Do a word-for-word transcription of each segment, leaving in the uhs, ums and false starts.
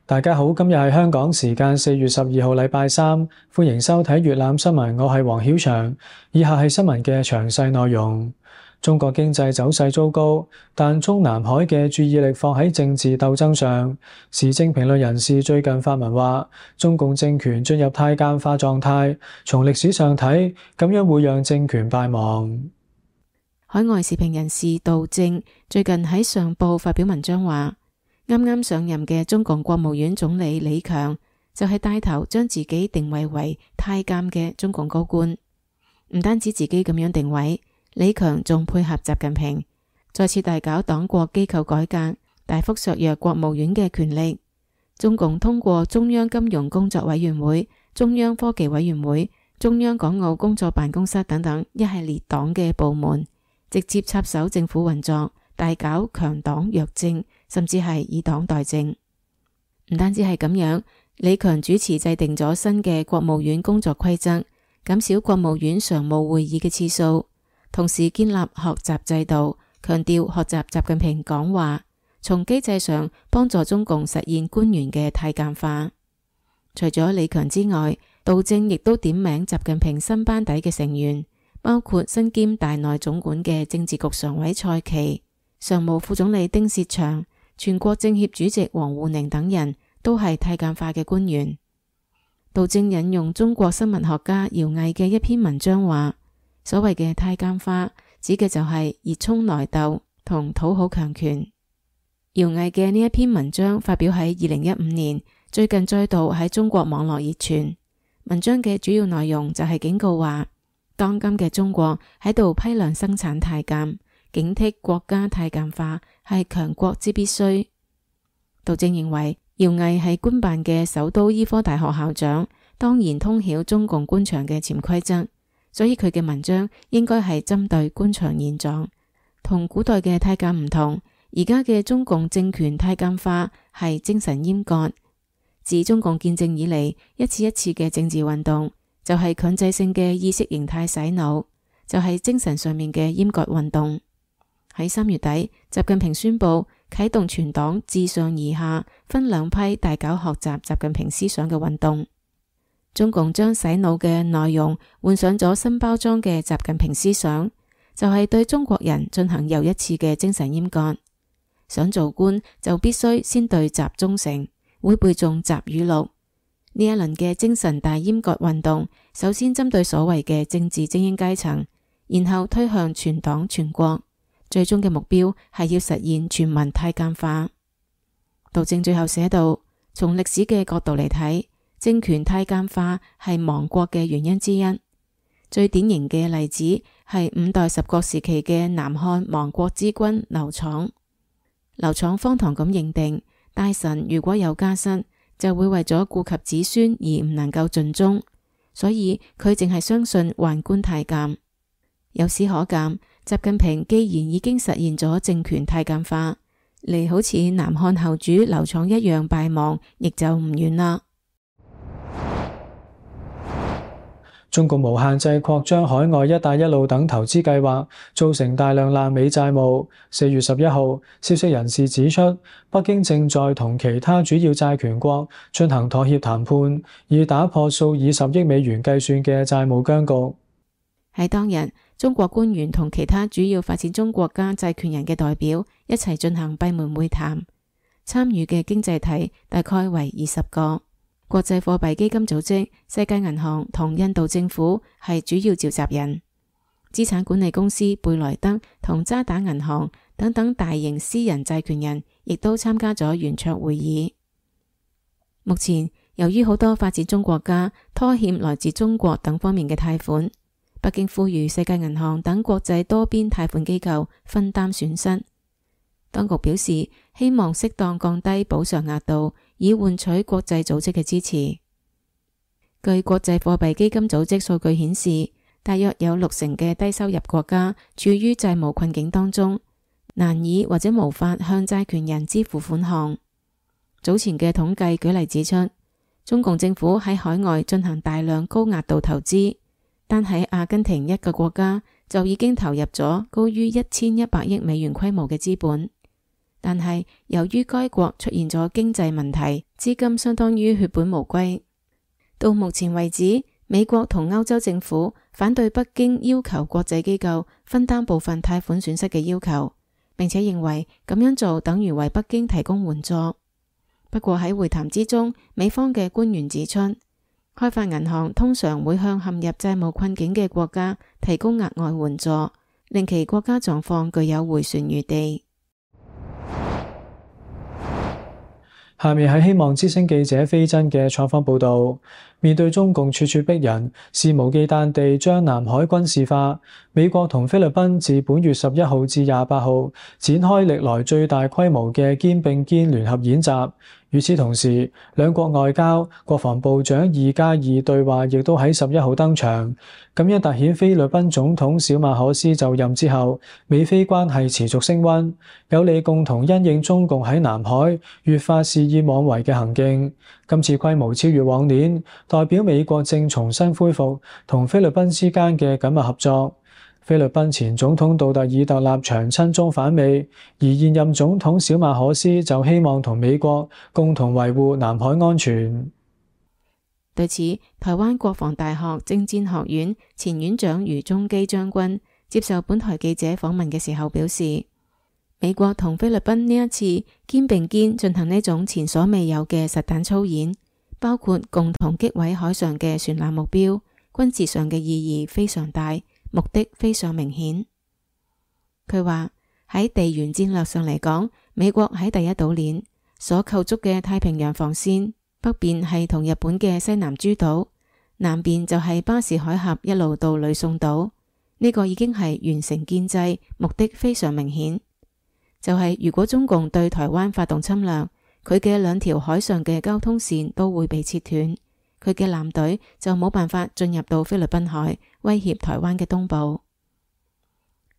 大家好，今日係香港時間四月十二號禮拜三，歡迎收睇粵覽新聞，我係黃曉翔。以下係新聞嘅詳細內容。中國經濟走勢糟糕，但中南海嘅注意力放喺政治鬥爭上。時政評論人士最近發文話，中共政權進入太監化狀態，從歷史上睇，咁樣會讓政權敗亡。海外時評人士杜正最近喺上報發表文章話，啱啱上任嘅中共國務院總理李強就係帶頭將自己定位為太監嘅中共高官，唔單止自己咁樣定位，李強仲配合習近平，再次大搞黨國機構改革，大幅削弱國務院嘅權力。中共通過中央金融工作委員會、中央科技委員會、中央港澳工作辦公室等等一系列黨嘅部門，直接插手政府運作，大搞強黨弱政，甚至係以黨代政。唔單止係咁樣，李強主持制定咗新嘅國務院工作規則，減少國務院常務會議嘅次數，同時建立學習制度，強調學習習近平講話，從機制上幫助中共實現官員嘅太監化。除咗李強之外，杜正亦都點名習近平新班底嘅成員，包括身兼大內總管嘅政治局常委蔡奇、常務副總理丁薛祥、全國政協主席王滬寧等人都係太監化嘅官員。杜正引用中國新聞學家姚毅嘅一篇文章話，所謂嘅太監化指嘅就係熱衷內鬥同討好強權。姚毅嘅呢一篇文章發表喺二零一五年，最近再度喺中國網絡熱傳。文章嘅主要內容就係警告話，當今嘅中國喺度批量生產太監，警惕國家太監化係強國之必須。杜正認為，姚毅係官辦嘅首都醫科大學校長，當然通曉中共官場嘅潛規則，所以佢嘅文章應該係針對官場現狀。同古代嘅太監唔同，而家嘅中共政權太監化係精神閹割。自中共建政以嚟，一次一次嘅政治運動就係強制性嘅意識形態洗腦，就係精神上面嘅閹割運動。喺三月底，習近平宣布啟動全黨自上而下分兩批大搞學習習近平思想嘅運動。中共將洗腦嘅內容換上咗新包裝嘅習近平思想，就係對中國人進行又一次嘅精神閹割。想做官就必須先對習忠誠，會背誦習語錄。呢一輪嘅精神大閹割運動，首先針對所謂嘅政治精英階層，然後推向全黨全國，最終嘅目標係要實現全民太監化。杜正最後寫道，從歷史嘅角度嚟睇，政權太監化係亡國嘅原因之一。最典型嘅例子係五代十國時期嘅南漢亡國之君劉昶。劉昶荒唐咁認定，大臣如果有家室，就會為咗顧及子孫而唔能夠盡忠，所以佢淨係相信宦官太監。由此可見，習近平既然已經實現咗政權太監化，離好似南漢後主劉昶一樣敗亡，亦就唔遠啦。中共無限制擴張海外一帶一路等投資計劃，造成大量爛尾債務。四月十一號，消息人士指出，北京正在同其他主要債權國進行妥協談判，以打破數以十億美元計算嘅債務僵局。喺當日，中國官員同其他主要發展中國家債權人嘅代表一齊進行閉門會談，參與嘅經濟體大概為二十個。國際貨幣基金組織、世界銀行同印度政府係主要召集人，資產管理公司貝萊德同渣打銀行等等大型私人債權人亦都參加咗圓桌會議。目前，由於好多發展中國家拖欠來自中國等方面嘅貸款，北京呼籲世界銀行等國際多邊貸款機構分擔損失。當局表示，希望適當降低補償額度，以換取國際組織嘅支持。據國際貨幣基金組織數據顯示，大約有六成嘅低收入國家處於債務困境當中，難以或者無法向債權人支付款項。早前嘅統計舉例指出，中共政府喺海外進行大量高額度投資，但喺阿根廷一個國家就已經投入咗高於一千一百億美元規模嘅資本，但係由於該國出現咗經濟問題，資金相當於血本無歸。到目前為止，美國同歐洲政府反對北京要求國際機構分擔部分貸款損失嘅要求，並且認為咁樣做等於為北京提供援助。不過喺會談之中，美方嘅官員指出，開發銀行通常會向陷入債務困境嘅國家提供額外援助，令其國家狀況具有回旋餘地。下面係希望之聲記者飛真嘅採訪報導。面對中共處處逼人，肆無忌憚地將南海軍事化，美國同菲律賓自本月十一號至廿八號展開歷來最大規模嘅肩並肩聯合演習。與此同時，兩國外交、國防部長二加二對話亦都喺十一號登場。咁樣凸顯菲律賓總統小馬可斯就任之後，美菲關係持續升溫，有利共同因應中共喺南海越發肆意妄為嘅行徑。今次規模超越往年，代表美國正重新恢復同菲律賓之間嘅緊密合作。菲律賓前總統杜特爾特立場親中反美，而現任總統小馬可斯就希望同美國共同維護南海安全。對此，台灣國防大學政戰學院前院長余宗基將軍接受本台記者訪問嘅時候表示，美國同菲律賓呢一次肩並肩進行呢種前所未有嘅實彈操演，包括共同擊毀海上嘅船艦目標，軍事上嘅意義非常大，目的非常明顯。佢話喺地緣戰略上嚟講，美國喺第一島鏈所構築嘅太平洋防線，北邊係同日本嘅西南諸島，南邊就係巴士海峽一路到呂宋島，呢個已經係完成建制，目的非常明顯。就係如果中共對台灣發動侵略，佢嘅兩條海上嘅交通線都會被切斷，佢嘅艦隊就冇辦法進入到菲律賓海，威脅台灣嘅東部。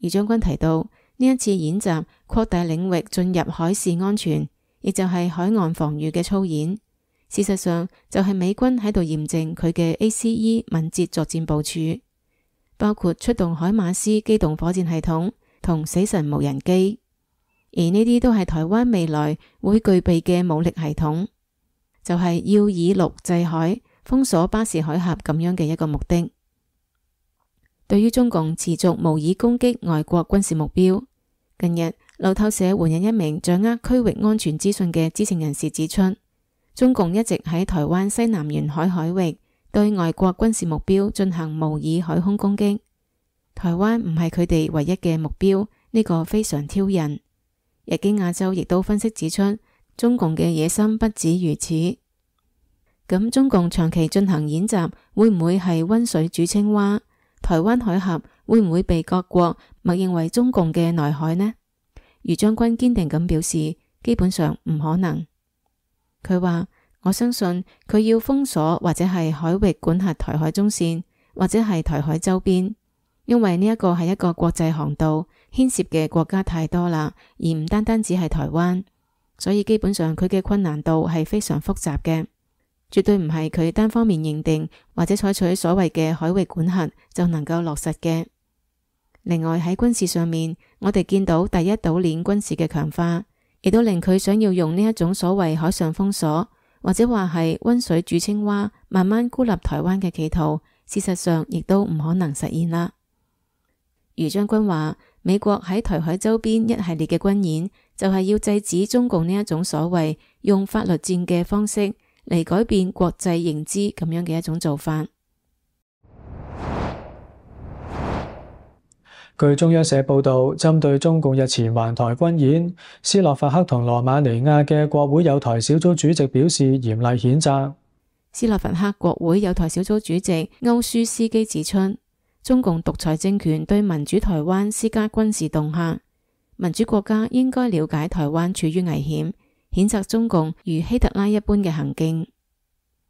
而將軍提到，呢一次演習擴大領域進入海事安全，亦就係海岸防禦嘅操演。事實上就係美軍喺度驗證佢嘅 A C E 敏捷作戰部署，包括出動海馬斯機動火箭系統同死神無人機，而呢啲都係台灣未來會具備嘅武力系統，就係要以陸制海，封鎖巴士海峽咁樣嘅一個目的。對於中共持續無意攻擊外國軍事目標，近日路透社援引一名掌握區域安全資訊嘅知情人士指出，中共一直喺台灣西南沿海海域對外國軍事目標進行模擬海空攻擊，台灣唔係佢哋唯一嘅目標，呢個非常挑釁。日經亞洲亦都分析指出，中共嘅野心不止如此。咁中共長期進行演習，會唔會係溫水煮青蛙？台灣海峽會唔會被各國默認為中共嘅內海呢？余將軍堅定咁表示，基本上唔可能。佢話：我相信佢要封鎖或者係海域管轄台海中線，或者係台海周邊，因為呢一個係一個國際航道，牽涉嘅國家太多啦，而唔單單只係台灣，所以基本上佢嘅困難度係非常複雜嘅。絕對唔係佢單方面認定或者採取所謂嘅海域管轄就能夠落實嘅。另外喺軍事上面，我哋見到第一島鏈軍事嘅強化，亦都令佢想要用呢一種所謂海上封鎖，或者話係溫水煮青蛙，慢慢孤立台灣嘅企圖，事實上亦都唔可能實現啦。余將軍話，美國喺台海周邊一系列嘅軍演，就係要制止中共呢一種所謂用法律戰嘅方式嚟改變國際認知咁樣嘅一種做法。據中央社報導，針對中共日前環台軍演，斯洛伐克同羅馬尼亞嘅國會有台小組主席表示嚴厲譴責。斯洛伐克國會有台小組主席歐舒斯基指出，中共獨裁政權對民主台灣施加軍事恫嚇，民主國家應該了解台灣處於危險，譴責中共如希特拉一般嘅行徑。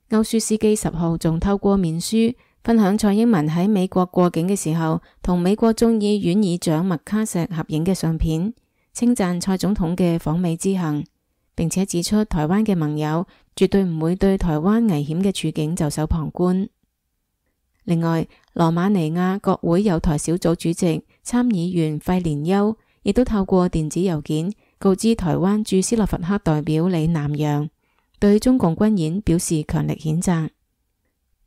歐舒斯基十號仲透過面書分享蔡英文喺美國過境嘅時候同美國眾議院議長麥卡錫合影嘅相片，稱讚蔡總統嘅訪美之行，並且指出台灣嘅盟友絕對唔會對台灣危險嘅處境袖手旁觀。另外，羅馬尼亞國會友台小組主席參議員費連丘亦都透過電子郵件告知台灣駐斯洛伐克代表李南陽，對中共軍演表示強力譴責。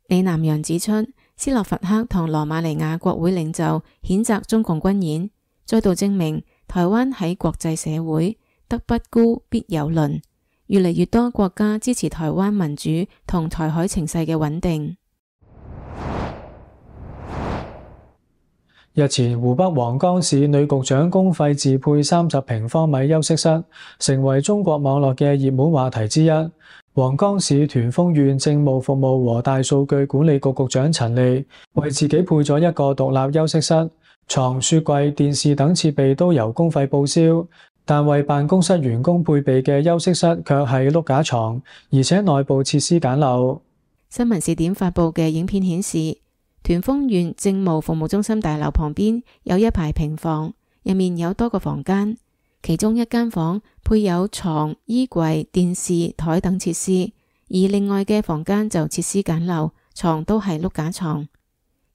李南陽指出，斯洛伐克同羅馬尼亞國會領袖譴責中共軍演，再度證明台灣喺國際社會德不孤必有鄰，越嚟越多國家支持台灣民主同台海情勢嘅穩定。日前，湖北黃岡市女局長公費自配三十平方米休息室，成為中國網絡嘅熱門話題之一。黃岡市屯豐縣政務服務和大數據管理局局長陳莉為自己配咗一個獨立休息室，床、雪櫃、電視等設備都由公費報銷，但為辦公室員工配備嘅休息室卻係碌架床，而且內部設施簡陋。新聞視點發佈嘅影片顯示，屯豐縣政務服務中心大樓旁邊有一排平房，入面有多個房間，其中一間房配有床、衣櫃、電視台等設施，而另外嘅房間就設施簡陋，床都係碌架床。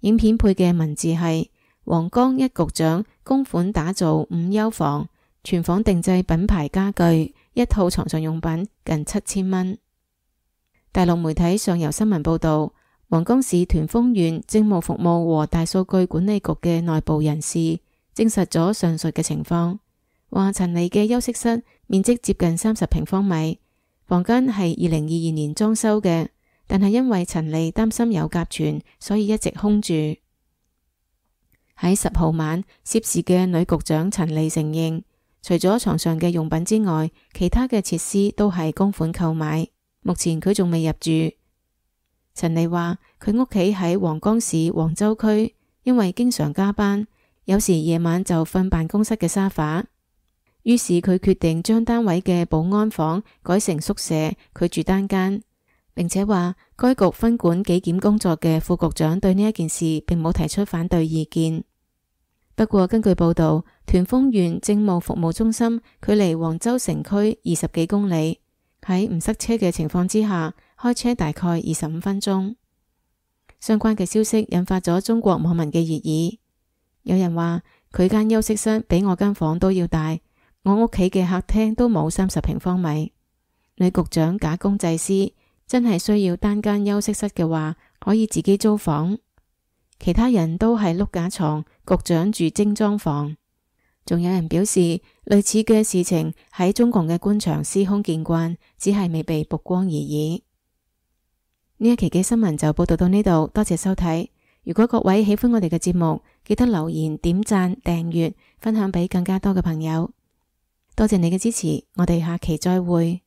影片配嘅文字係：黃岡一局長公款打造五休房，全房定製品牌家具，一套床上用品近七千蚊。大陸媒體上游新聞報道，黃岡市屯豐縣政務服務和大數據管理局嘅內部人士證實咗上述嘅情況，話陳莉嘅休息室面積接近三十平方米，房間係二零二二年裝修嘅，但係因為陳莉擔心有甲醛，所以一直空住。喺十號晚，涉事嘅女局長陳莉承認，除咗床上嘅用品之外，其他嘅設施都係公款購買，目前佢仲未入住。陳莉話佢屋企喺黃岡市黃州區，因為經常加班，有時夜晚就瞓辦公室嘅沙發，於是佢決定將單位嘅保安房改成宿舍，佢住單間，並且話該局分管紀檢工作嘅副局長對呢一件事並冇提出反對意見。不過根據報道，屯豐縣政務服務中心距離黃州城區二十幾公里，喺唔塞車嘅情況之下，開車大概二十五分鐘。相關嘅消息引發咗中國網民嘅熱議，有人話佢間休息室比我間房都要大，我屋企嘅客廳都冇三十平方米。女局長假公濟私，真係需要單間休息室嘅話，可以自己租房。其他人都係碌架床，局長住精裝房。仲有人表示，類似嘅事情喺中共嘅官場司空見慣，只係未被曝光而已。呢一期嘅新聞就報道到呢度，多謝收睇。如果各位喜歡我哋嘅節目，記得留言、點讚、訂閱、分享俾更加多嘅朋友。多謝你嘅支持，我哋下期再會。